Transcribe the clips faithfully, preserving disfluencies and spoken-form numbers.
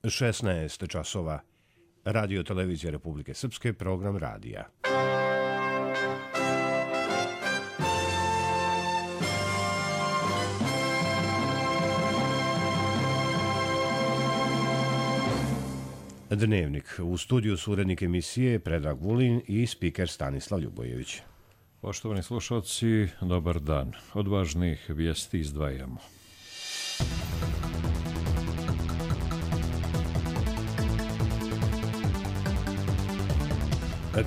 šesnaest časova. Radio Televizija Republike Srpske, program radija. Dnevnik. U studiju su urednik emisije Predrag Vulin i spiker Stanislav Ljubojević. Poštovani slušalci, dobar dan. Od važnih vijesti izdvajamo.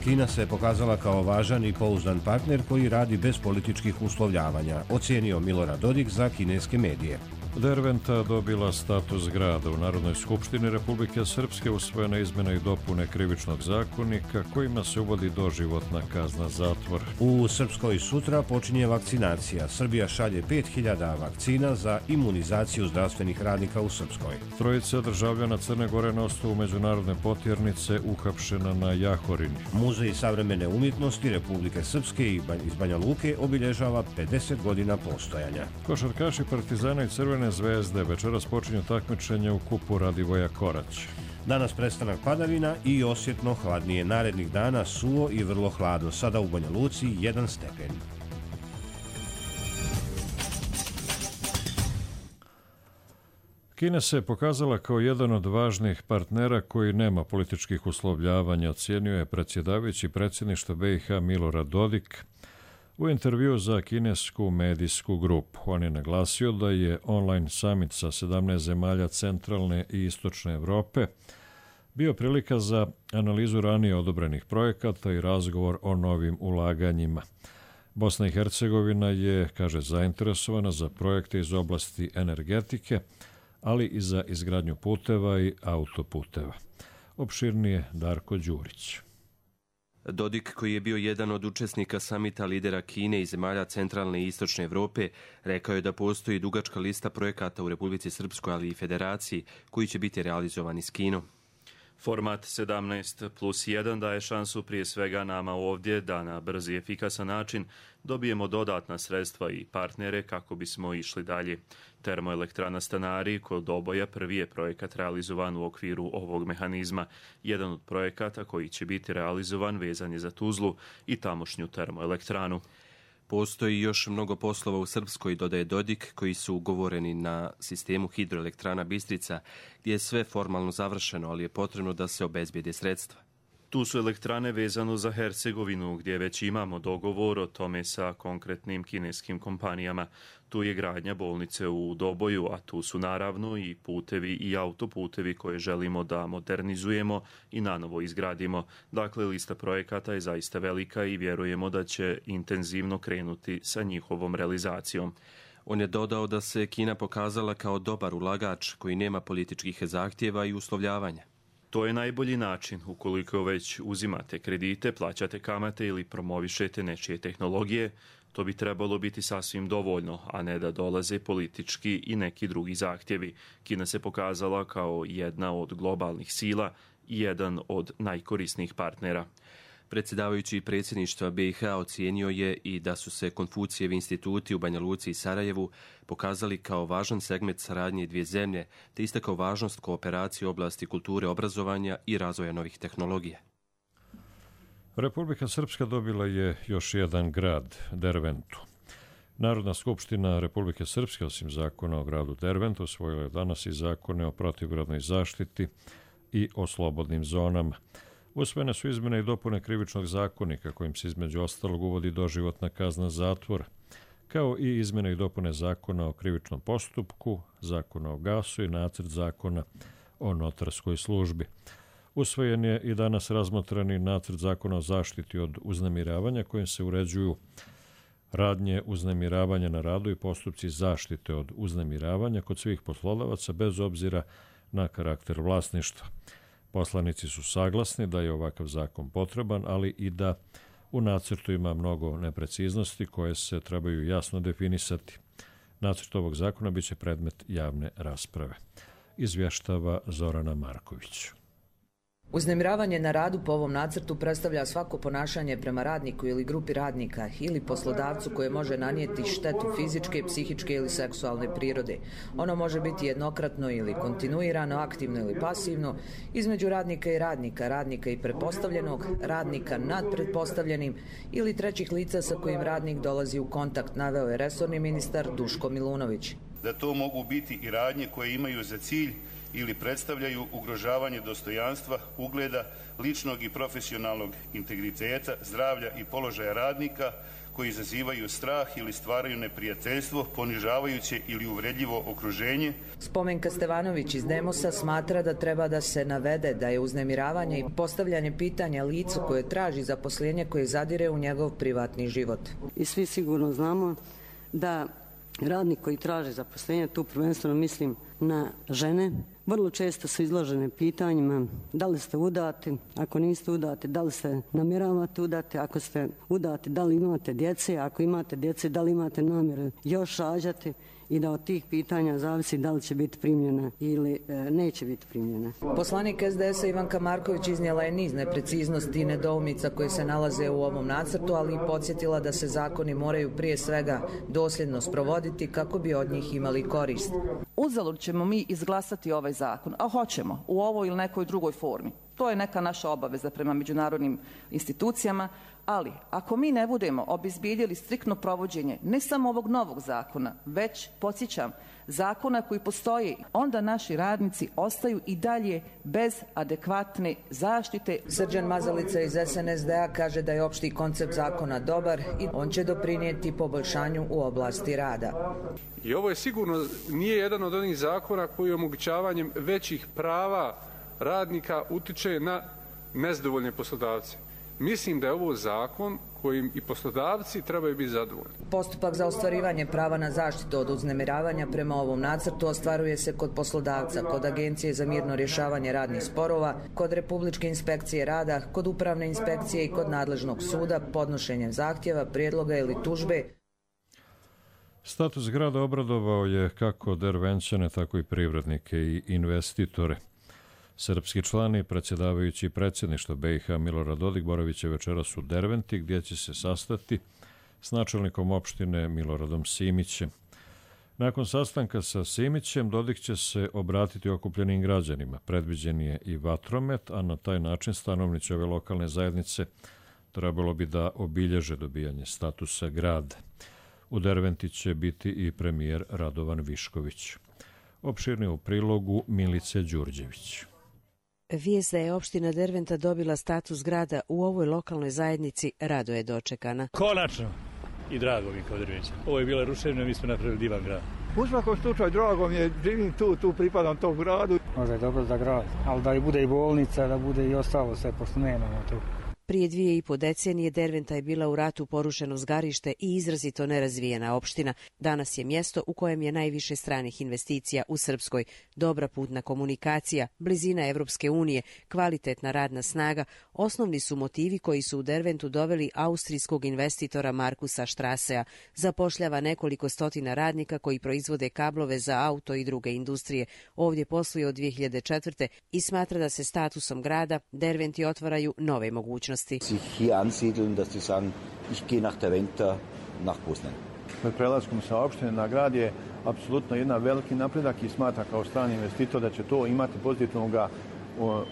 Kina se pokazala kao važan i pouzdan partner koji radi bez političkih uslovljavanja, ocijenio Milorad Dodik za kineske medije. Derventa dobila status grada. U Narodnoj skupštini Republike Srpske usvojena izmjena i dopune krivičnog zakonika kojima se uvodi doživotna kazna zatvora. U Srpskoj sutra počinje vakcinacija. Srbija šalje pet hiljada vakcina za imunizaciju zdravstvenih radnika u Srpskoj. Trojica državljana Crne Gore na osnovu međunarodne potjernice uhapšena na Jahorini. Muzej savremene umjetnosti Republike Srpske iz Banja Luke obilježava pedeset godina postojanja. Košarkaši Partizana i Crvene Zvezde večeras počinju takmičenje u kupu Radivoja Korać. Danas prestanak padavina i osjetno hladnije. Narednih dana suvo i vrlo hladno. Sada u Banja Luci jedan stepen. Kina se pokazala kao jedan od važnih partnera koji nema političkih uslovljavanja, ocijenio je predsjedavajući predsjedništva B i H Milorad Dodik u intervju za kinesku medijsku grupu. On je naglasio da je online summit sa sedamnaest zemalja centralne i istočne Evrope bio prilika za analizu ranije odobrenih projekata i razgovor o novim ulaganjima. Bosna i Hercegovina je, kaže, zainteresovana za projekte iz oblasti energetike, ali i za izgradnju puteva i autoputeva. Opširnije Darko Đurić. Dodik, koji je bio jedan od učesnika samita lidera Kine i zemalja centralne i istočne Evrope, rekao je da postoji dugačka lista projekata u Republici Srpskoj, ali i Federaciji, koji će biti realizovani s Kinom. Format sedamnaest plus jedan daje šansu prije svega nama ovdje da na brz i efikasan način dobijemo dodatna sredstva i partnere kako bismo išli dalje. Termoelektrana Stanari kod Doboja prvi je projekat realizovan u okviru ovog mehanizma. Jedan od projekata koji će biti realizovan vezan je za Tuzlu i tamošnju termoelektranu. Postoji još mnogo poslova u Srpskoj, dodaje Dodik, koji su ugovoreni na sistemu hidroelektrana Bistrica, gdje je sve formalno završeno, ali je potrebno da se obezbijede sredstva. Tu su elektrane vezano za Hercegovinu, gdje već imamo dogovor o tome sa konkretnim kineskim kompanijama. Tu je gradnja bolnice u Doboju, a tu su naravno i putevi i autoputevi koje želimo da modernizujemo i nanovo izgradimo. Dakle, lista projekata je zaista velika i vjerujemo da će intenzivno krenuti sa njihovom realizacijom. On je dodao da se Kina pokazala kao dobar ulagač koji nema političkih zahtjeva i uslovljavanja. To je najbolji način ukoliko već uzimate kredite, plaćate kamate ili promovišete nečije tehnologije. To bi trebalo biti sasvim dovoljno, a ne da dolaze politički i neki drugi zahtjevi. Kina se pokazala kao jedna od globalnih sila i jedan od najkorisnijih partnera. Predsjedavajući predsjedništva B i H ocijenio je i da su se Konfucijevi instituti u Banja Luci i Sarajevu pokazali kao važan segment saradnje dvije zemlje, te istakao važnost kooperacije u oblasti kulture, obrazovanja i razvoja novih tehnologija. Republika Srpska dobila je još jedan grad, Derventu. Narodna skupština Republike Srpske, osim zakona o gradu Derventu, usvojila je danas i zakone o protivgradnoj zaštiti i o slobodnim zonama. Usvojene su izmjene i dopune krivičnog zakonika kojim se između ostalog uvodi doživotna kazna zatvora, kao i izmjene i dopune zakona o krivičnom postupku, zakona o gasu i nacrt zakona o notarskoj službi. Usvojen je i danas razmotreni nacrt zakona o zaštiti od uznemiravanja kojim se uređuju radnje uznemiravanja na radu i postupci zaštite od uznemiravanja kod svih poslodavaca bez obzira na karakter vlasništva. Poslanici su saglasni da je ovakav zakon potreban, ali i da u nacrtu ima mnogo nepreciznosti koje se trebaju jasno definisati. Nacrt ovog zakona biće predmet javne rasprave. Izvještava Zorana Marković. Uznemiravanje na radu po ovom nacrtu predstavlja svako ponašanje prema radniku ili grupi radnika ili poslodavcu koje može nanijeti štetu fizičke, psihičke ili seksualne prirode. Ono može biti jednokratno ili kontinuirano, aktivno ili pasivno, između radnika i radnika, radnika i pretpostavljenog, radnika nad pretpostavljenim ili trećih lica sa kojim radnik dolazi u kontakt, naveo je resorni ministar Duško Milunović. Da to mogu biti i radnje koje imaju za cilj ili predstavljaju ugrožavanje dostojanstva, ugleda, ličnog i profesionalnog integriteta, zdravlja i položaja radnika koji izazivaju strah ili stvaraju neprijateljstvo, ponižavajuće ili uvredljivo okruženje. Spomenka Stevanović iz Demosa smatra da treba da se navede da je uznemiravanje i postavljanje pitanja licu koje traži zaposlenje koje zadire u njegov privatni život. I svi sigurno znamo da radnik koji traže zaposlenje, tu prvenstveno mislim na žene, vrlo često su izložene pitanjima da li ste udati, ako niste udati, da li se namjeravate udati, ako ste udati, da li imate djece, ako imate djece, da li imate namjeru još rađati i da od tih pitanja zavisi da li će biti primljena ili e, neće biti primljena. Poslanik es de es a Ivanka Marković iznijela je niz nepreciznosti i nedoumica koje se nalaze u ovom nacrtu, ali i podsjetila da se zakoni moraju prije svega dosljedno sprovoditi kako bi od njih imali korist. Uzalud ćemo mi izglasati ovaj zakon, a hoćemo u ovoj ili nekoj drugoj formi. To je neka naša obaveza prema međunarodnim institucijama, ali ako mi ne budemo obezbijedili striktno provođenje ne samo ovog novog zakona, već, podsjećam, zakona koji postoji, onda naši radnici ostaju i dalje bez adekvatne zaštite. Srđan Mazalica iz es en es de a kaže da je opšti koncept zakona dobar i on će doprinijeti poboljšanju u oblasti rada. I ovo je sigurno nije jedan od onih zakona koji omogućavanjem većih prava radnika utiče na nezadovoljne poslodavce. Mislim da je ovo zakon kojim i poslodavci trebaju biti zadovoljni. Postupak za ostvarivanje prava na zaštitu od uznemiravanja prema ovom nacrtu ostvaruje se kod poslodavca, kod Agencije za mirno rješavanje radnih sporova, kod Republičke inspekcije rada, kod Upravne inspekcije i kod nadležnog suda podnošenjem zahtjeva, prijedloga ili tužbe. Status grada obradovao je kako Dervenčane, tako i privrednike i investitore. Srpski član i predsjedavajući predsjedništva be i ha Milorad Dodik boravit će večeras u Derventi, gdje će se sastati s načelnikom opštine Miloradom Simićem. Nakon sastanka sa Simićem, Dodik će se obratiti okupljenim građanima. Predviđen je i vatromet, a na taj način stanovnici ove lokalne zajednice trebalo bi da obilježe dobijanje statusa grada. U Derventi će biti i premijer Radovan Višković. Opširnije u prilogu Milice Đurđević. Vijest da je opština Derventa dobila status grada u ovoj lokalnoj zajednici rado je dočekana. Konačno! I drago mi kao Dervenčan. Ovo je bila ruševina, mi smo napravili divan grad. U svakom slučaju drago mi je, živim tu, tu pripadam tom gradu. Možda je dobro za grad, ali da i bude i bolnica, da bude i ostalo sve, pošto nemamo tu. Prije dvije i po decenije Derventa je bila u ratu porušeno zgarište i izrazito nerazvijena opština. Danas je mjesto u kojem je najviše stranih investicija u Srpskoj. Dobra putna komunikacija, blizina Evropske unije, kvalitetna radna snaga, osnovni su motivi koji su u Derventu doveli austrijskog investitora Markusa Štrasea. Zapošljava nekoliko stotina radnika koji proizvode kablove za auto i druge industrije. Ovdje posluje od dvije hiljade četvrte. i smatra da se statusom grada Derventi otvaraju nove mogućnosti. Sich hier ansiedeln, dass sie sagen, ich gehe nach Derventa, nach Poznan. Pred prelaskom sa opštine na grad je apsolutno jedan veliki napredak i smatra kao strani investitor da će to imati pozitivnog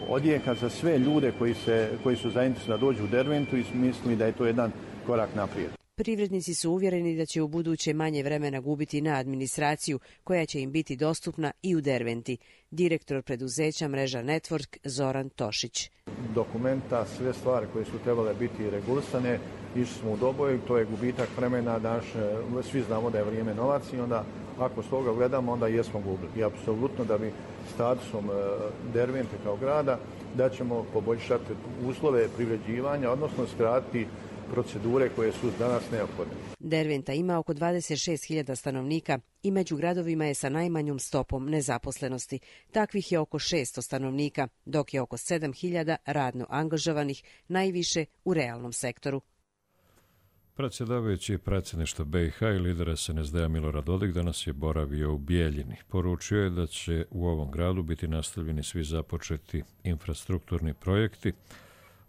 odjeka za sve ljude koji, se, koji su zainteresovani da dođu u Derventu i misli da je to jedan korak naprijed. Privrednici su uvjereni da će u buduće manje vremena gubiti na administraciju koja će im biti dostupna i u Derventi. Direktor preduzeća mreža Network Zoran Tošić. Dokumenta, sve stvari koje su trebale biti regulisane, išli smo u Doboj, to je gubitak vremena, daš, svi znamo da je vrijeme novac i onda ako s toga gledamo, onda jesmo gubili. I apsolutno da bi statusom Dervente kao grada da ćemo poboljšati uslove privređivanja, odnosno skratiti procedure koje su danas neophodne. Derventa ima oko dvadeset šest hiljada stanovnika i među gradovima je sa najmanjom stopom nezaposlenosti. Takvih je oko šesto stanovnika, dok je oko sedam hiljada radno angažovanih, najviše u realnom sektoru. Predsjedavajući predsjedništva B i H i lider S N S D-a Milorad Dodik danas je boravio u Bijeljini. Poručio je da će u ovom gradu biti nastavljeni svi započeti infrastrukturni projekti,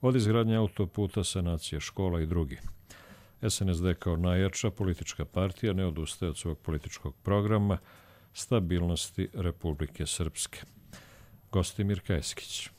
od izgradnje autoputa, sanacije škola i drugi. S N S D kao najjača politička partija ne odustaje od svog političkog programa stabilnosti Republike Srpske. Gostimir Kajskić.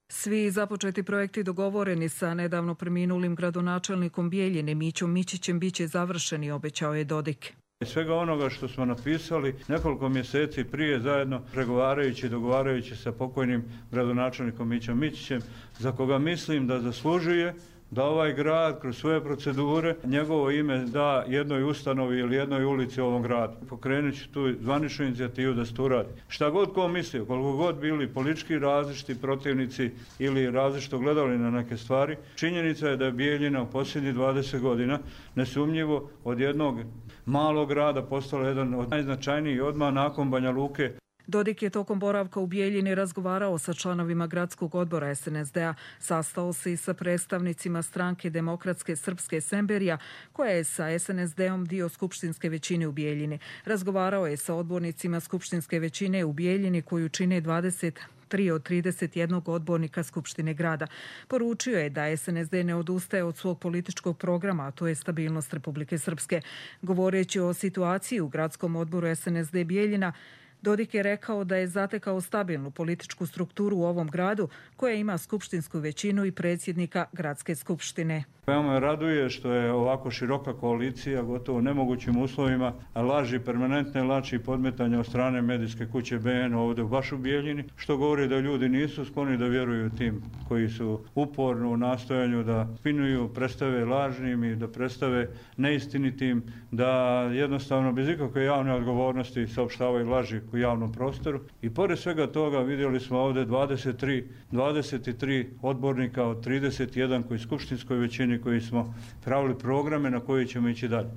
Svi započeti projekti dogovoreni sa nedavno preminulim gradonačelnikom Bijeljine Mićom Mićićem biće završeni, obećao je Dodik. Svega onoga što smo napisali nekoliko mjeseci prije zajedno pregovarajući i dogovarajući sa pokojnim gradonačelnikom Mićom Mićićem, za koga mislim da zaslužuje da ovaj grad kroz svoje procedure njegovo ime da jednoj ustanovi ili jednoj ulici u ovom gradu. Pokrenut ću tu zvaničnu inicijativu da se to uradi. Šta god ko mislio, koliko god bili politički različiti protivnici ili različito gledali na neke stvari, činjenica je da je Bijeljina u posljednjih dvadeset godina nesumnjivo od jednog malog grada postala jedan od najznačajnijih odmah nakon Banja Luke. Dodik je tokom boravka u Bijeljini razgovarao sa članovima gradskog odbora S N S D-a, sastao se i sa predstavnicima stranke Demokratske srpske Semberija, koja je sa S N S D-om dio skupštinske većine u Bijeljini. Razgovarao je sa odbornicima skupštinske većine u Bijeljini, koju čine dvadeset tri od trideset jednog odbornika Skupštine grada. Poručio je da S N S D ne odustaje od svog političkog programa, a to je stabilnost Republike Srpske. Govoreći o situaciji u gradskom odboru S N S D Bijeljina, Dodik je rekao da je zatekao stabilnu političku strukturu u ovom gradu koja ima skupštinsku većinu i predsjednika gradske skupštine. Veoma me raduje što je ovako široka koalicija gotovo nemogućim uslovima laži, permanentne laži i podmetanja od strane medijske kuće B N ovdje baš u Bijeljini, što govori da ljudi nisu skloni da vjeruju tim koji su uporno u nastojanju da spinuju, predstave lažnim i da predstave neistinitim, da jednostavno bez ikakve javne odgovornosti saopštavaju laži u javnom prostoru. I pored svega toga vidjeli smo ovdje dvadeset tri, dvadeset tri odbornika od trideset jedan koji skupštinskoj većini koji smo pravili programe na koji ćemo ići dalje.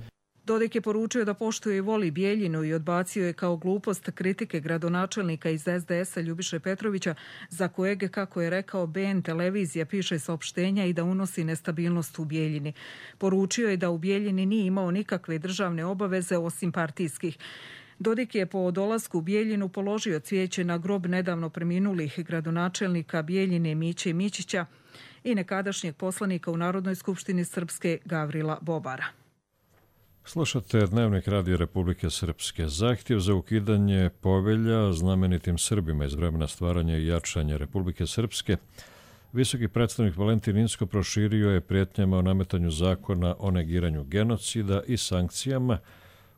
Dodik je poručio da poštuje i voli Bijeljinu i odbacio je kao glupost kritike gradonačelnika iz S D S-a Ljubiše Petrovića, za kojeg, kako je rekao, B N televizija piše saopštenja i da unosi nestabilnost u Bijeljini. Poručio je da u Bijeljini nije imao nikakve državne obaveze osim partijskih. Dodik je po dolasku u Bijeljinu položio cvijeće na grob nedavno preminulih gradonačelnika Bijeljine Miće Mićića i nekadašnjeg poslanika u Narodnoj skupštini Srpske Gavrila Bobara. Slušate Dnevnik Radija Republike Srpske. Zahtjev za ukidanje povelja znamenitim Srbima iz vremena stvaranja i jačanja Republike Srpske visoki predstavnik Valentin Inzko proširio je prijetnjama o nametanju zakona o negiranju genocida i sankcijama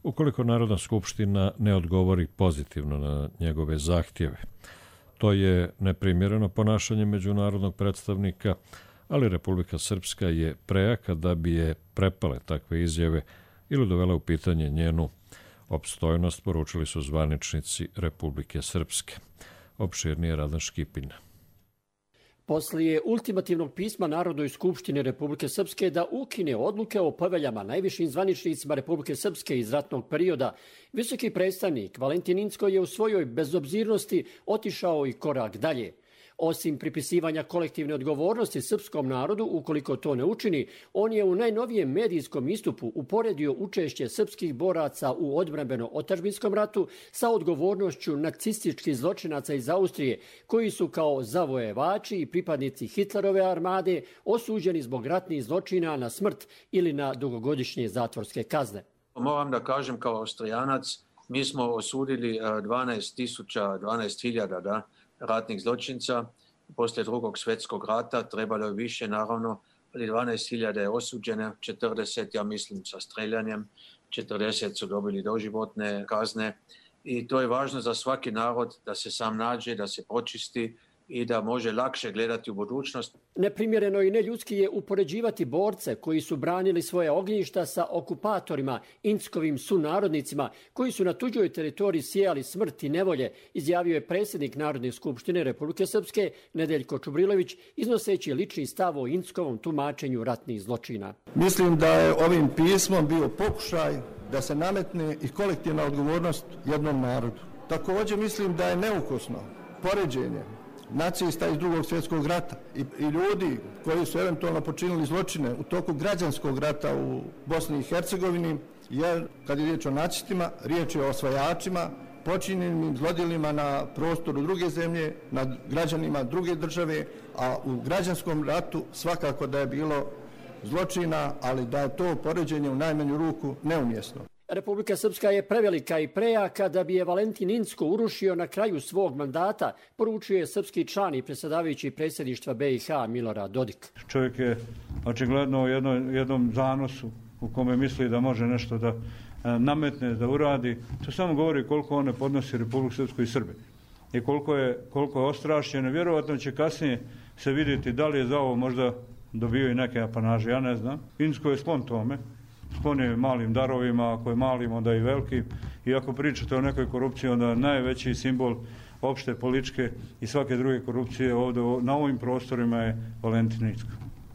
ukoliko Narodna skupština ne odgovori pozitivno na njegove zahtjeve. To je neprimjereno ponašanje međunarodnog predstavnika, ali Republika Srpska je prejaka da bi je prepale takve izjave ili dovela u pitanje njenu opstojnost, poručili su zvaničnici Republike Srpske. Opširnije Radan Škipin. Poslije ultimativnog pisma Narodnoj skupštini Republike Srpske da ukine odluke o poveljama najvišim zvaničnicima Republike Srpske iz ratnog perioda, visoki predstavnik Valentin Inzko je u svojoj bezobzirnosti otišao i korak dalje. Osim pripisivanja kolektivne odgovornosti srpskom narodu, ukoliko to ne učini, on je u najnovijem medijskom istupu uporedio učešće srpskih boraca u odbrambeno-otadžbinskom ratu sa odgovornošću nacističkih zločinaca iz Austrije, koji su kao zavojevači i pripadnici Hitlerove armade osuđeni zbog ratnih zločina na smrt ili na dugogodišnje zatvorske kazne. Moram da kažem kao Austrijanac, mi smo osudili dvanaest tisuća, dvanaest hiljada da, ratnih zločinca. Poslije drugog svjetskog rata trebalo je više, naravno, ali dvanaest hiljada je osuđene, četrdeset, ja mislim, sa streljanjem, četrdeset su dobili doživotne kazne i to je važno za svaki narod da se sam nađe, da se počisti i da može lakše gledati u budućnost. Neprimjereno i neljudski je upoređivati borce koji su branili svoje ognjišta sa okupatorima, Inzkovim sunarodnicima, koji su na tuđoj teritoriji sijali smrt i nevolje, izjavio je predsjednik Narodne skupštine Republike Srpske Nedeljko Čubrilović, iznoseći lični stav o Inzkovom tumačenju ratnih zločina. Mislim da je ovim pismom bio pokušaj da se nametne i kolektivna odgovornost jednom narodu. Također mislim da je neukosno poređenje nacista iz drugog svjetskog rata i, i ljudi koji su eventualno počinili zločine u toku građanskog rata u Bosni i Hercegovini, jer kad je riječ o nacistima, riječ je o osvajačima, počinjenim zlodjelima na prostoru druge zemlje, nad građanima druge države, a u građanskom ratu svakako da je bilo zločina, ali da je to poređenje u najmanju ruku neumjesno. Republika Srpska je prevelika i prejaka da bi je Valentin Incko urušio na kraju svog mandata, poručio je srpski član i predsjedavajući predsjedništva B i H Milorad Dodik. Čovjek je očigledno u jednom, jednom zanosu u kome misli da može nešto da nametne, da uradi. To samo govori koliko on ne podnosi Republiku Srpsku i Srbe i koliko je, koliko je ostrašćeno. Vjerovatno će kasnije se vidjeti da li je za ovo možda dobio i neke apanaže, ja ne znam. Incko je sklon tome. Sklon je malim darovima, ako je malim, onda i velikim. I ako pričate o nekoj korupciji, onda najveći simbol opšte političke i svake druge korupcije ovdje na ovim prostorima je Valentin Incko.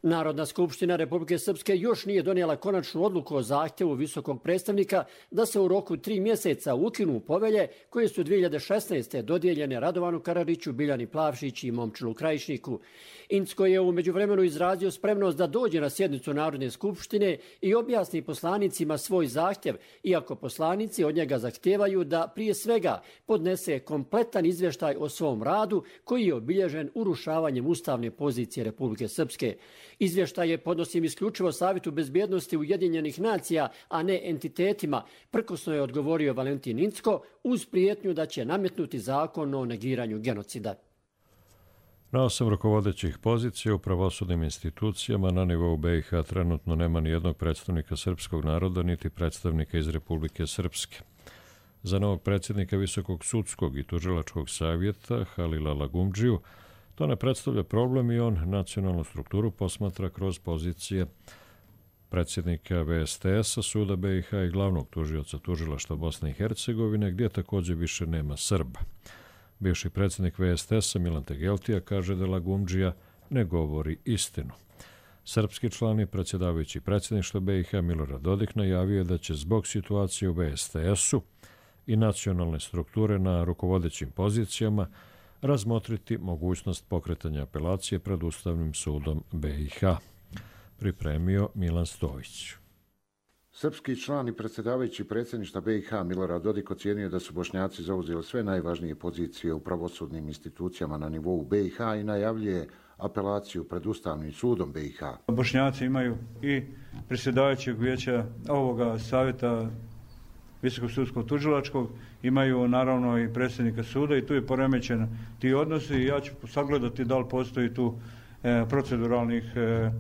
Narodna skupština Republike Srpske još nije donijela konačnu odluku o zahtjevu visokog predstavnika da se u roku tri mjeseca ukinu povelje koje su dvije hiljade šesnaeste. dodijeljene Radovanu Karadžiću, Biljani Plavšić i Momčilu Krajišniku. Incko je u međuvremenu izrazio spremnost da dođe na sjednicu Narodne skupštine i objasni poslanicima svoj zahtjev, iako poslanici od njega zahtijevaju da prije svega podnese kompletan izvještaj o svom radu koji je obilježen urušavanjem ustavne pozicije Republike Srpske. Izvještaje podnosim isključivo Savjetu bezbjednosti Ujedinjenih nacija, a ne entitetima, prkosno je odgovorio Valentin Incko uz prijetnju da će nametnuti zakon o negiranju genocida. Na osam rukovodećih pozicija u pravosudnim institucijama na nivou B i H trenutno nema ni jednog predstavnika srpskog naroda, niti predstavnika iz Republike Srpske. Za novog predsjednika Visokog sudskog i tužilačkog savjeta Halila Lagumdžiju to ne predstavlja problem i on nacionalnu strukturu posmatra kroz pozicije predsjednika V S T S-a, Suda B i H i glavnog tužioca tužilaštva Bosne i Hercegovine, gdje također više nema Srba. Bivši predsjednik V S T S-a Milan Tegeltija kaže da Lagumdžija ne govori istinu. Srpski član i predsjedavajući predsjedništva B i H Milorad Dodik najavio je da će zbog situacije u V S T S-u i nacionalne strukture na rukovodećim pozicijama razmotriti mogućnost pokretanja apelacije pred Ustavnim sudom B i H. Pripremio Milan Stojić. Srpski član i predsjedavajući predsjedništva B i H Milorad Dodik ocijenio da su Bošnjaci zauzeli sve najvažnije pozicije u pravosudnim institucijama na nivou B i H i najavljuje apelaciju pred Ustavnim sudom B i H. Bošnjaci imaju i predsjedavajućeg vijeća ovoga savjeta Visokog sudskog tužilačkog, imaju naravno i predsjednika suda i tu je poremećen ti odnosi i ja ću sagledati da li postoji tu e, proceduralnih e,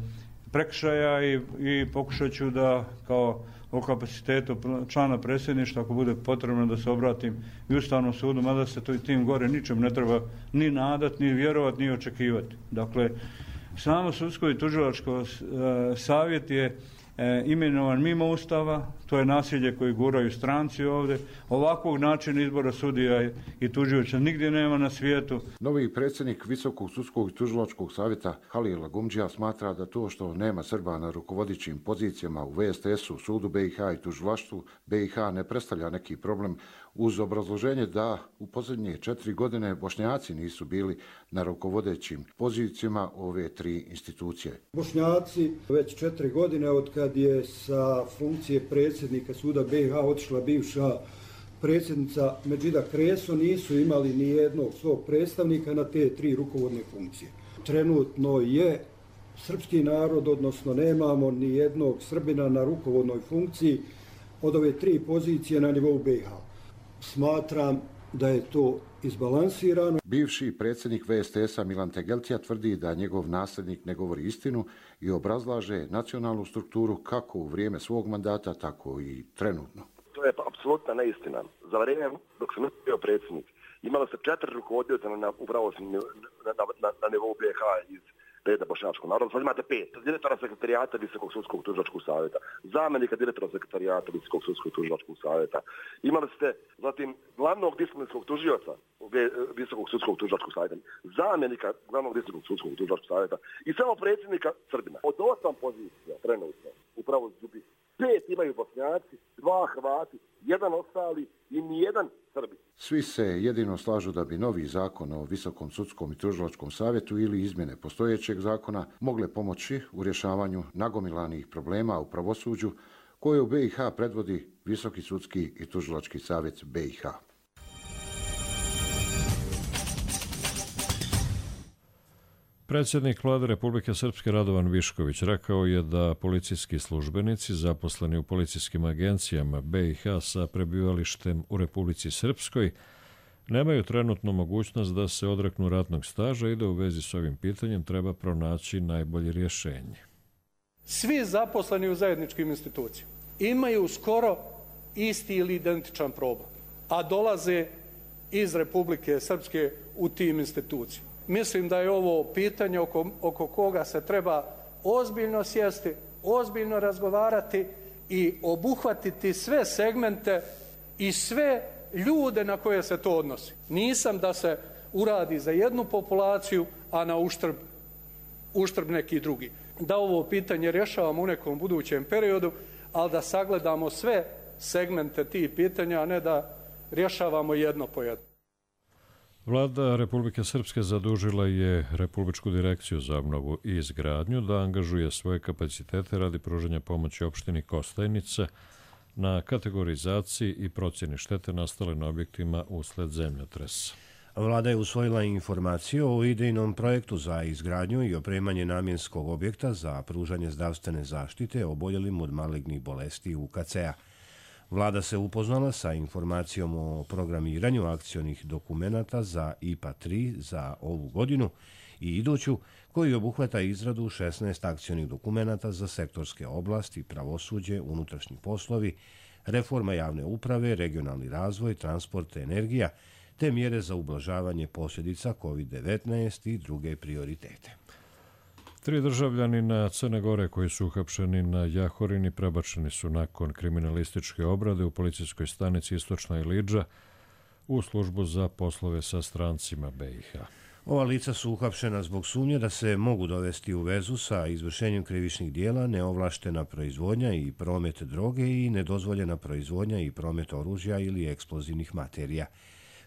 prekršaja i, i pokušat ću da kao o kapacitetu člana predsjedništva, ako bude potrebno da se obratim i Ustavnom sudu, mada se to i tim gore ničem ne treba ni nadat, ni vjerovat, ni očekivati. Dakle, samo sudsko i tužilačko e, savjet je E, imenovan mimo Ustava, to je nasilje koje guraju stranci ovdje. Ovakvog načina izbora sudija i tužioća nigdje nema na svijetu. Novi predsjednik Visokog sudskog i tužilačkog savjeta Halil Lagumdžija smatra da to što nema Srba na rukovodećim pozicijama u V S T S-u, sudu B i H i tužilaštvu B i H ne predstavlja neki problem, uz obrazloženje da u posljednje četiri godine Bošnjaci nisu bili na rukovodećim pozicijama ove tri institucije. Bošnjaci već četiri godine od kad je sa funkcije predsjednika suda B i H otišla bivša predsjednica Medžida Kreso, nisu imali ni jednog svog predstavnika na te tri rukovodne funkcije. Trenutno je srpski narod, odnosno nemamo ni jednog Srbina na rukovodnoj funkciji od ove tri pozicije na nivou B i H. Smatram da je to izbalansirano. Bivši predsjednik V S T S-a Milan Tegeltija tvrdi da njegov nasljednik ne govori istinu i obrazlaže nacionalnu strukturu kako u vrijeme svog mandata, tako i trenutno. To je apsolutna neistina. Za vrijeme dok sam bio predsjednik, imalo se četiri rukovodioca na, u pravosudnom na, na, na nivou B i H iz reda bošnjačkog naroda. Sad imate pet. Direktora sekretarijata Visokog sudskog tužilačkog savjeta, zamjenika direktora sekretarijata Visokog sudskog tužilačkog savjeta. Imali ste zatim glavnog disciplinskog tužioca Visokog sudskog tužilačkog savjeta, zamjenika glavnog Visokog sudskog tužilačkog savjeta i samo predsjednika Srbina. Od osam pozicija trenutno u pravosuđu pet imaju Bošnjaci, dva Hrvati, jedan ostali i nijedan Srbi. Svi se jedino slažu da bi novi zakon o Visokom sudskom i tužilačkom savjetu ili izmjene postojećeg zakona mogle pomoći u rješavanju nagomilanih problema u pravosuđu koje u B i H predvodi Visoki sudski i tužilački savjet B i H. Predsjednik Vlade Republike Srpske Radovan Višković rekao je da policijski službenici zaposleni u policijskim agencijama B i H sa prebivalištem u Republici Srpskoj nemaju trenutnu mogućnost da se odreknu ratnog staža i da u vezi s ovim pitanjem treba pronaći najbolje rješenje. Svi zaposleni u zajedničkim institucijama imaju skoro isti ili identičan problem, a dolaze iz Republike Srpske u tim institucijama. Mislim da je ovo pitanje oko, oko koga se treba ozbiljno sjesti, ozbiljno razgovarati i obuhvatiti sve segmente i sve ljude na koje se to odnosi. Nisam da se uradi za jednu populaciju, a na uštrb, uštrb neki drugi. Da ovo pitanje rješavamo u nekom budućem periodu, ali da sagledamo sve segmente tih pitanja, a ne da rješavamo jedno po jedno. Vlada Republike Srpske zadužila je Republičku direkciju za obnovu i izgradnju da angažuje svoje kapacitete radi pružanja pomoći opštini Kostajnica na kategorizaciji i procjeni štete nastale na objektima usled zemljotresa. Vlada je usvojila informaciju o idejnom projektu za izgradnju i opremanje namjenskog objekta za pružanje zdravstvene zaštite oboljelim od malignih bolesti U K C-a. Vlada se upoznala sa informacijom o programiranju akcionih dokumenata za I P A tri za ovu godinu i iduću, koji obuhvata izradu šesnaest akcionih dokumenata za sektorske oblasti, pravosuđe, unutrašnji poslovi, reforma javne uprave, regionalni razvoj, transport, energija, te mjere za ublažavanje posljedica kovid devetnaest i druge prioritete. Tri državljanina Crne Gore koji su uhapšeni na Jahorini prebačeni su nakon kriminalističke obrade u policijskoj stanici Istočna Ilidža u službu za poslove sa strancima B i H. Ova lica su uhapšena zbog sumnje da se mogu dovesti u vezu sa izvršenjem krivičnih dijela, neovlaštena proizvodnja i promet droge i nedozvoljena proizvodnja i promet oružja ili eksplozivnih materija.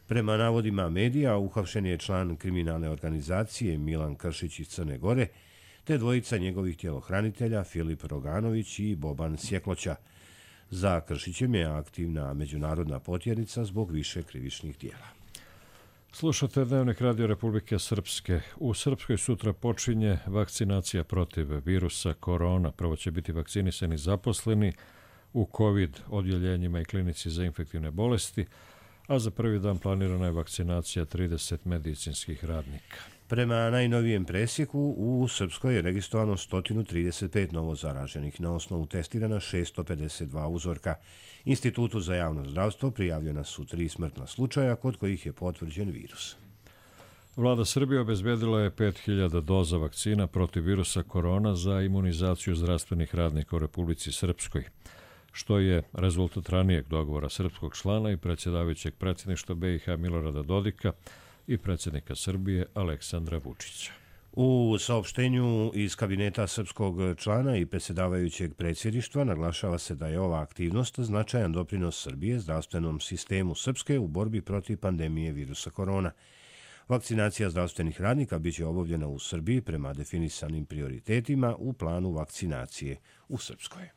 Prema navodima medija, uhapšen je član kriminalne organizacije Milan Kršić iz Crne Gore, te dvojica njegovih tjelohranitelja Filip Roganović i Boban Sjekloća. Za Kršićem je aktivna međunarodna potjernica zbog više krivičnih dijela. Slušate Dnevnik Radio Republike Srpske. U Srpskoj sutra počinje vakcinacija protiv virusa korona. Prvo će biti vakcinisani zaposleni u COVID odjeljenjima i klinici za infektivne bolesti, a za prvi dan planirana je vakcinacija trideset medicinskih radnika. Prema najnovijem presjeku, u Srpskoj je registrovano sto trideset pet novo zaraženih, na osnovu testirana šesto pedeset dva uzorka. Institutu za javno zdravstvo prijavljena su tri smrtna slučaja kod kojih je potvrđen virus. Vlada Srbije obezbedila je pet hiljada doza vakcina protiv virusa korona za imunizaciju zdravstvenih radnika u Republici Srpskoj, što je rezultat ranijeg dogovora srpskog člana i predsjedavajućeg predsjedništva B i H Milorada Dodika i predsjednika Srbije Aleksandra Vučića. U saopštenju iz kabineta srpskog člana i predsjedavajućeg predsjedništva naglašava se da je ova aktivnost značajan doprinos Srbije zdravstvenom sistemu Srpske u borbi protiv pandemije virusa korona. Vakcinacija zdravstvenih radnika biće obavljena u Srbiji prema definisanim prioritetima u planu vakcinacije u Srpskoj.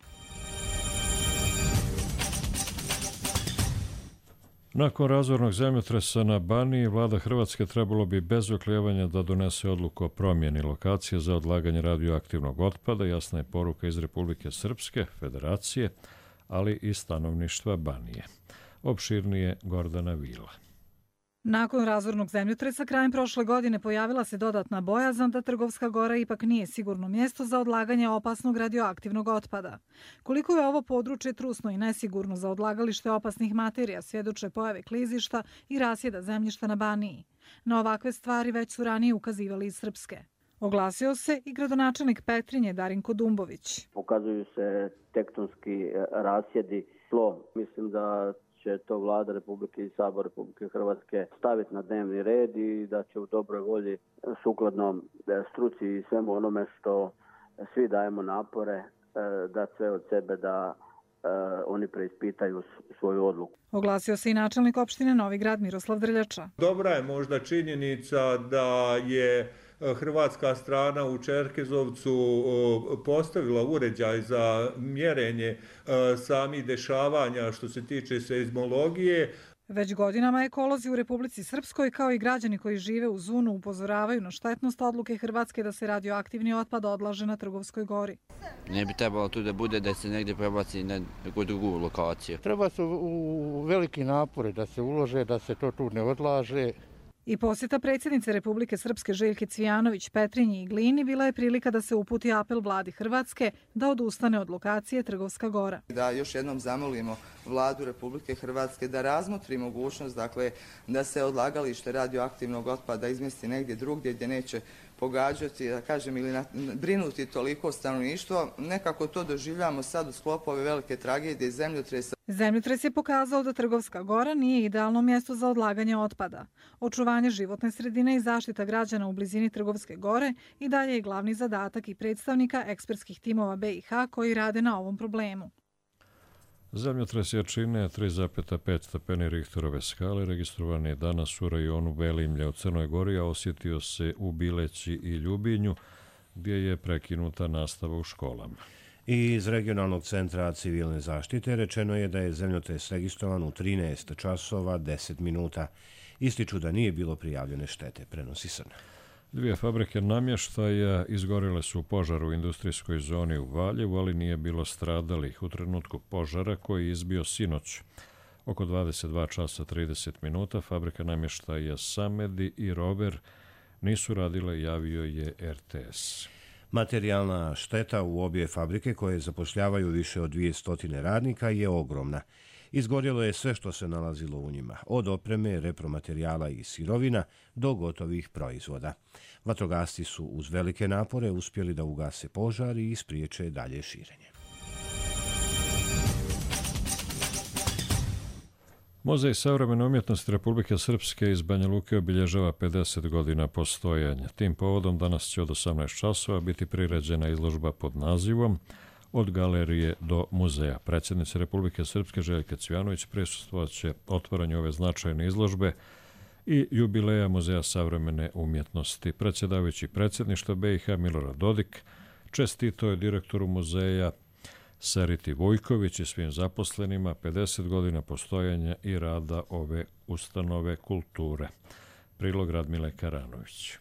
Nakon razornog zemljotresa na Baniji, vlada Hrvatske trebalo bi bez oklijevanja da donese odluku o promjeni lokacije za odlaganje radioaktivnog otpada. Jasna je poruka iz Republike Srpske, Federacije, ali i stanovništva Banije. Opširnije Gordana Vila. Nakon razornog zemljotresa krajem prošle godine pojavila se dodatna bojazan da Trgovska Gora ipak nije sigurno mjesto za odlaganje opasnog radioaktivnog otpada. Koliko je ovo područje trusno i nesigurno za odlagalište opasnih materija svjedoče pojave klizišta i rasjeda zemljišta na Baniji. Na ovakve stvari već su ranije ukazivali iz Srpske. Oglasio se i gradonačelnik Petrinje Darinko Dumbović. Pokazuju se tektonski rasjedi tlo. Mislim da će to Vlada Republike i Sabor Republike Hrvatske staviti na dnevni red i da će u dobroj volji sukladno struci i svemu onome što svi dajemo napore da sve od sebe da oni preispitaju svoju odluku. Oglasio se i načelnik opštine Novi Grad Miroslav Drljača. Dobra je možda činjenica da je hrvatska strana u Čerkezovcu postavila uređaj za mjerenje samih dešavanja što se tiče seizmologije. Već godinama ekolozi u Republici Srpskoj kao i građani koji žive u Zunu upozoravaju na štetnost odluke Hrvatske da se radioaktivni otpad odlaže na Trgovskoj gori. Ne bi trebalo tu da bude da se negdje prebaci na neku drugu lokaciju. Treba su u veliki napore da se ulože, da se to tu ne odlaže. I posjeta predsjednice Republike Srpske Željke Cvijanović Petrinji i Glini bila je prilika da se uputi apel vladi Hrvatske da odustane od lokacije Trgovska gora. Da još jednom zamolimo vladu Republike Hrvatske da razmotri mogućnost, dakle, da se odlagalište radioaktivnog otpada izmjesti negdje drugdje gdje neće pogađati, da kažem, ili brinuti toliko stanovništvo. Nekako to doživljamo sad u sklopu ove velike tragedije zemljotresa. Zemljotres je pokazao da Trgovska gora nije idealno mjesto za odlaganje otpada. Očuvanje životne sredine i zaštita građana u blizini Trgovske gore i dalje je glavni zadatak i predstavnika ekspertskih timova B i H koji rade na ovom problemu. Zemljotres jačine tri zarez pet stepeni Richterove skale registrovan je danas u rajonu Velimlja u Crnoj Gori, a osjetio se u Bileći i Ljubinju, gdje je prekinuta nastava u školama. I iz regionalnog centra civilne zaštite rečeno je da je zemljotres registrovan u trinaest časova deset minuta. Ističu da nije bilo prijavljene štete, prenosi Srna. Dvije fabrike namještaja izgorele su u požaru u industrijskoj zoni u Valjevu, ali nije bilo stradalih u trenutku požara koji je izbio sinoć. Oko dvadeset dva časa trideset minuta fabrika namještaja Samedi i Rover nisu radile, javio je R T S. Materijalna šteta u obje fabrike koje zapošljavaju više od dvjesto radnika je ogromna. Izgorjelo je sve što se nalazilo u njima, od opreme, repromaterijala i sirovina do gotovih proizvoda. Vatrogasci su uz velike napore uspjeli da ugase požar i ispriječe dalje širenje. Muzej savremene umjetnosti Republike Srpske iz Banja Luke obilježava pedeset godina postojanja. Tim povodom danas će od osamnaest časova biti priređena izložba pod nazivom Od galerije do muzeja. Predsjednica Republike Srpske Željka Cvijanović prisustvovat će otvaranju ove značajne izložbe i jubileja Muzeja savremene umjetnosti. Predsjedavajući predsjedništva B i H Milorad Dodik čestitao je direktoru muzeja Sariti Vujković i svim zaposlenima pedeset godina postojanja i rada ove ustanove kulture. Prilog Radmile Karanović.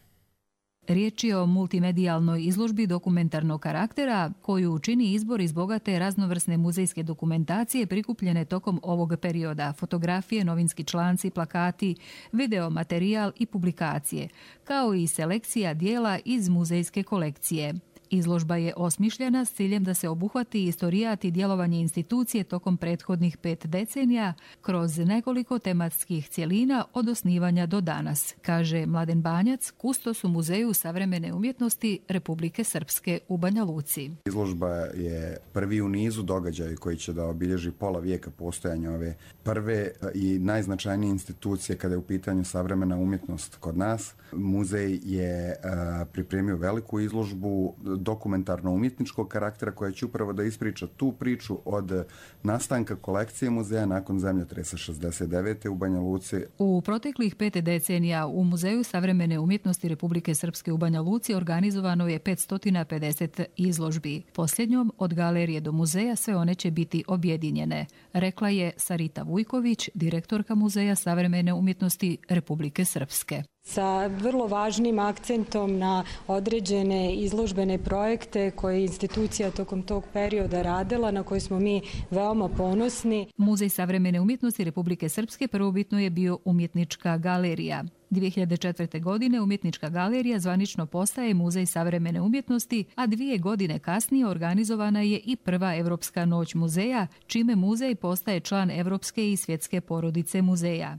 Riječ je o multimedijalnoj izložbi dokumentarnog karaktera koju čini izbor iz bogate raznovrsne muzejske dokumentacije prikupljene tokom ovog perioda, fotografije, novinski članci, plakati, video materijal i publikacije, kao i selekcija dijela iz muzejske kolekcije. Izložba je osmišljena s ciljem da se obuhvati istorijat i djelovanje institucije tokom prethodnih pet decenija kroz nekoliko tematskih cjelina od osnivanja do danas, kaže Mladen Banjac, kustos u Muzeju savremene umjetnosti Republike Srpske u Banja Luci. Izložba je prvi u nizu događaja koji će da obilježi pola vijeka postojanja ove prve i najznačajnije institucije kada je u pitanju savremena umjetnost kod nas. Muzej je a, pripremio veliku izložbu dokumentarno-umjetničkog karaktera koja će upravo da ispriča tu priču od nastanka kolekcije muzeja nakon zemljotresa šezdeset devete u Banja Luci. U proteklih pet decenija u Muzeju savremene umjetnosti Republike Srpske u Banja Luci organizovano je petsto pedeset izložbi. Posljednjom od galerije do muzeja sve one će biti objedinjene, rekla je Sarita Vujković, direktorka Muzeja savremene umjetnosti Republike Srpske. Sa vrlo važnim akcentom na određene izložbene projekte koje je institucija tokom tog perioda radila, na koje smo mi veoma ponosni. Muzej savremene umjetnosti Republike Srpske prvobitno je bio umjetnička galerija. dvije hiljade četvrte. godine umjetnička galerija zvanično postaje Muzej savremene umjetnosti, a dvije godine kasnije organizovana je i prva Evropska noć muzeja, čime muzej postaje član Evropske i svjetske porodice muzeja.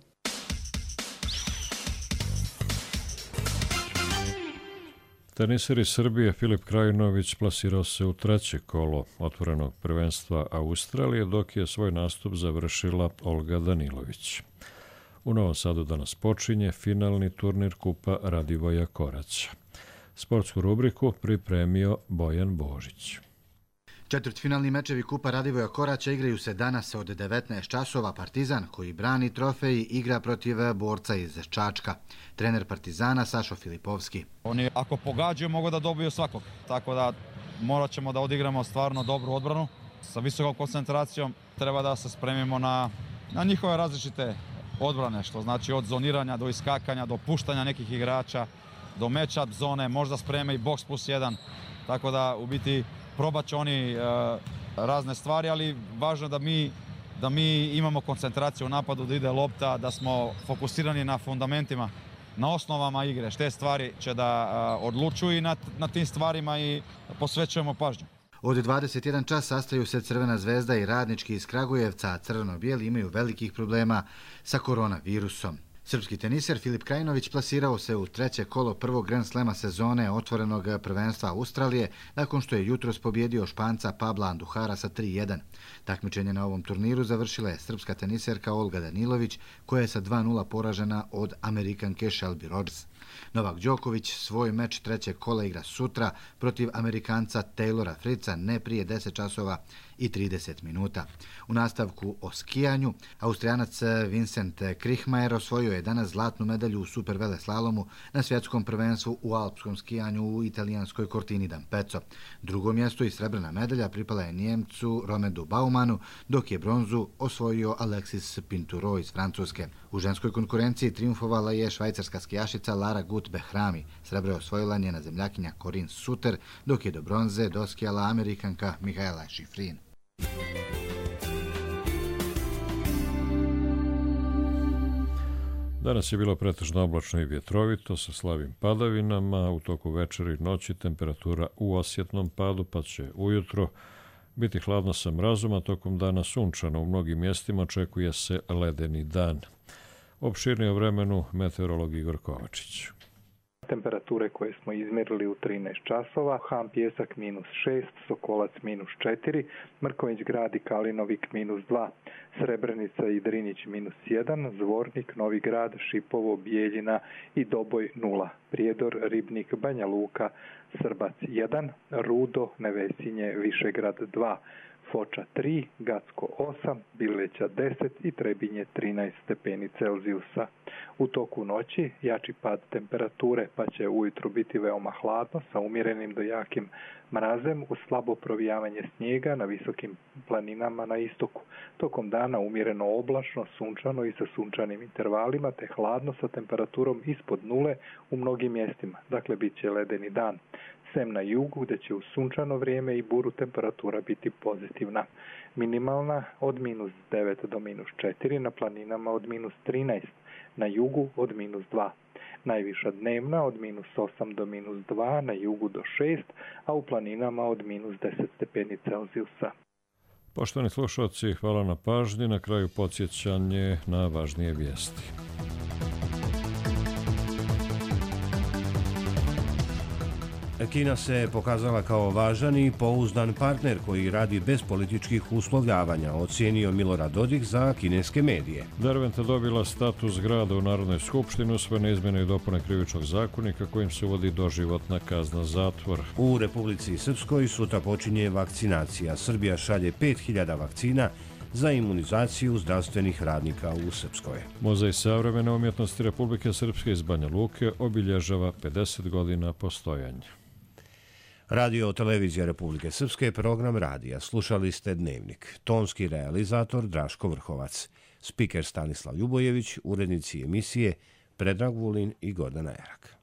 Teniser iz Srbije Filip Krajinović plasirao se u treće kolo otvorenog prvenstva Australije, dok je svoj nastup završila Olga Danilović. U Novom Sadu danas počinje finalni turnir Kupa Radivoja Koraća. Sportsku rubriku pripremio Bojan Božić. Četvrtfinalni mečevi Kupa Radivoja Koraća igraju se danas od devetnaest časova. Partizan, koji brani trofej, igra protiv borca iz Čačka. Trener Partizana Sašo Filipovski. Oni ako pogađaju mogu da dobiju svakog, tako da morat ćemo da odigramo stvarno dobru odbranu. Sa visokom koncentracijom treba da se spremimo na, na njihove različite odbrane, što znači od zoniranja do iskakanja, do puštanja nekih igrača, do match-up zone, možda spreme i box plus jedan, tako da u biti probat će oni e, razne stvari, ali važno je da mi, da mi imamo koncentraciju u napadu, da ide lopta, da smo fokusirani na fundamentima, na osnovama igre. Šte stvari će da e, odlučuju i na, na tim stvarima i posvećujemo pažnju. Od dvadeset jedan čas sastaju se Crvena zvezda i Radnički iz Kragujevca, a crveno-bijeli imaju velikih problema sa koronavirusom. Srpski teniser Filip Krajinović plasirao se u treće kolo prvog Grand Slema sezone otvorenog prvenstva Australije nakon što je jutros pobjedio Španca Pabla Anduhara sa tri jedan. Takmičenje na ovom turniru završila je srpska teniserka Olga Danilović, koja je sa dva nula poražena od Amerikanke Shelby Rogers. Novak Đoković svoj meč trećeg kola igra sutra protiv Amerikanca Taylora Fritza ne prije deset časova i trideset minuta. U nastavku o skijanju, Austrijanac Vincent Krichmajer osvojio je danas zlatnu medalju u superveleslalomu na svjetskom prvenstvu u alpskom skijanju u italijanskoj Cortini d'Ampezzo. Drugo mjesto i srebrna medalja pripala je Njemcu Romedu Baumanu, dok je bronzu osvojio Alexis Pinturo iz Francuske. U ženskoj konkurenciji triumfovala je švajcarska skijašica Lara Gut-Behrami. Srebro je osvojila njena zemljakinja Corinne Suter, dok je do bronze doskijala Amerikanka Mihaela Šifrin. Danas je bilo pretežno oblačno i vjetrovito sa slabim padavinama. U toku večera i noći temperatura u osjetnom padu, pa će ujutro biti hladno sa mrazom, a tokom dana sunčano. U mnogim mjestima očekuje se ledeni dan. Opširnije o vremenu meteorolog Igor Kovačić. Temperature koje smo izmjerili u trinaest časova, Ham Pjesak minus šest, Sokolac minus četiri, Mrković Grad i Kalinovik minus dva, Srebrenica i Drinjić minus jedan, Zvornik, Novi Grad, Šipovo, Bijeljina i Doboj nula, Prijedor, Ribnik, Banja Luka, Srbac jedan, Rudo, Nevesinje, Višegrad dva, Foča tri, Gacko osam, Bileća deset i Trebinje trinaest stepeni Celzijusa. U toku noći jači pad temperature, pa će ujutro biti veoma hladno sa umjerenim do jakim mrazem uz slabo provijavanje snijega na visokim planinama na istoku. Tokom dana umjereno oblačno, sunčano i sa sunčanim intervalima, te hladno sa temperaturom ispod nule u mnogim mjestima. Dakle, bit će ledeni dan. Sem na jugu, gdje će u sunčano vrijeme i buru temperatura biti pozitivna. Minimalna od minus devet do minus četiri, na planinama od minus trinaest, na jugu od minus dva. Najviša dnevna od minus osam do minus dva, na jugu do šest, a u planinama od minus deset stepeni Celzijusa. Poštovani slušalci, hvala na pažnji. Na kraju podsjećanje na važnije vijesti. Kina se pokazala kao važan i pouzdan partner koji radi bez političkih uslovljavanja, ocijenio Milorad Dodik za kineske medije. Derventa dobila status grada u Narodnoj skupštini, usvojene izmjene i dopune krivičnog zakonika kojim se uvodi doživotna kazna zatvora. U Republici Srpskoj sutra počinje vakcinacija. Srbija šalje pet hiljada vakcina za imunizaciju zdravstvenih radnika u Srpskoj. Muzej savremene umjetnosti Republike Srpske iz Banja Luke obilježava pedeset godina postojanja. Radio televizija Republike Srpske, program radija. Slušali ste Dnevnik. Tonski realizator Draško Vrhovac. Spiker Stanislav Ljubojević, urednici emisije Predrag Vulin i Gordana Erak.